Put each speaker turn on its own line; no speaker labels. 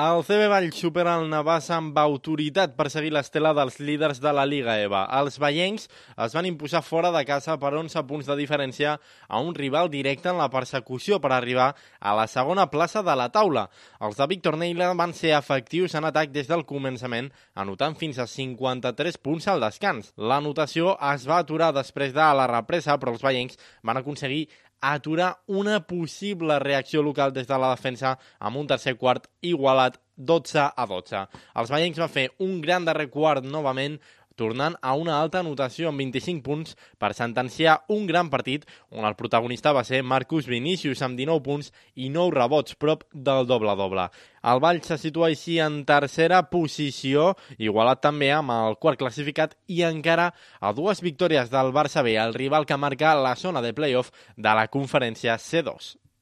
El CB Valls supera el Navàs amb autoritat per seguir l'estela dels líders de la Lliga EVA. Els vallencs es van imposar fora de casa per 11 punts de diferència a un rival directe en la persecució per arribar a la segona plaça de la taula. Els de Víctor Neila van ser efectius en atac des del començament, anotant fins a 53 punts al descans. L'anotació es va aturar després de la represa, però els vallencs van aconseguir aturar una possible reacció local des de la defensa amb un tercer quart igualat 12-12. Els vallencs van fer un gran darrer quart novament, tornant a una alta anotació amb 25 punts per sentenciar un gran partit on el protagonista va ser Marcus Vinicius amb 19 punts i 9 rebots, prop del doble-doble. El Valls se situa així en tercera posició, igualat també amb el quart classificat i encara a 2 victòries del Barça B, el rival que marca la zona de playoff de la conferència C2.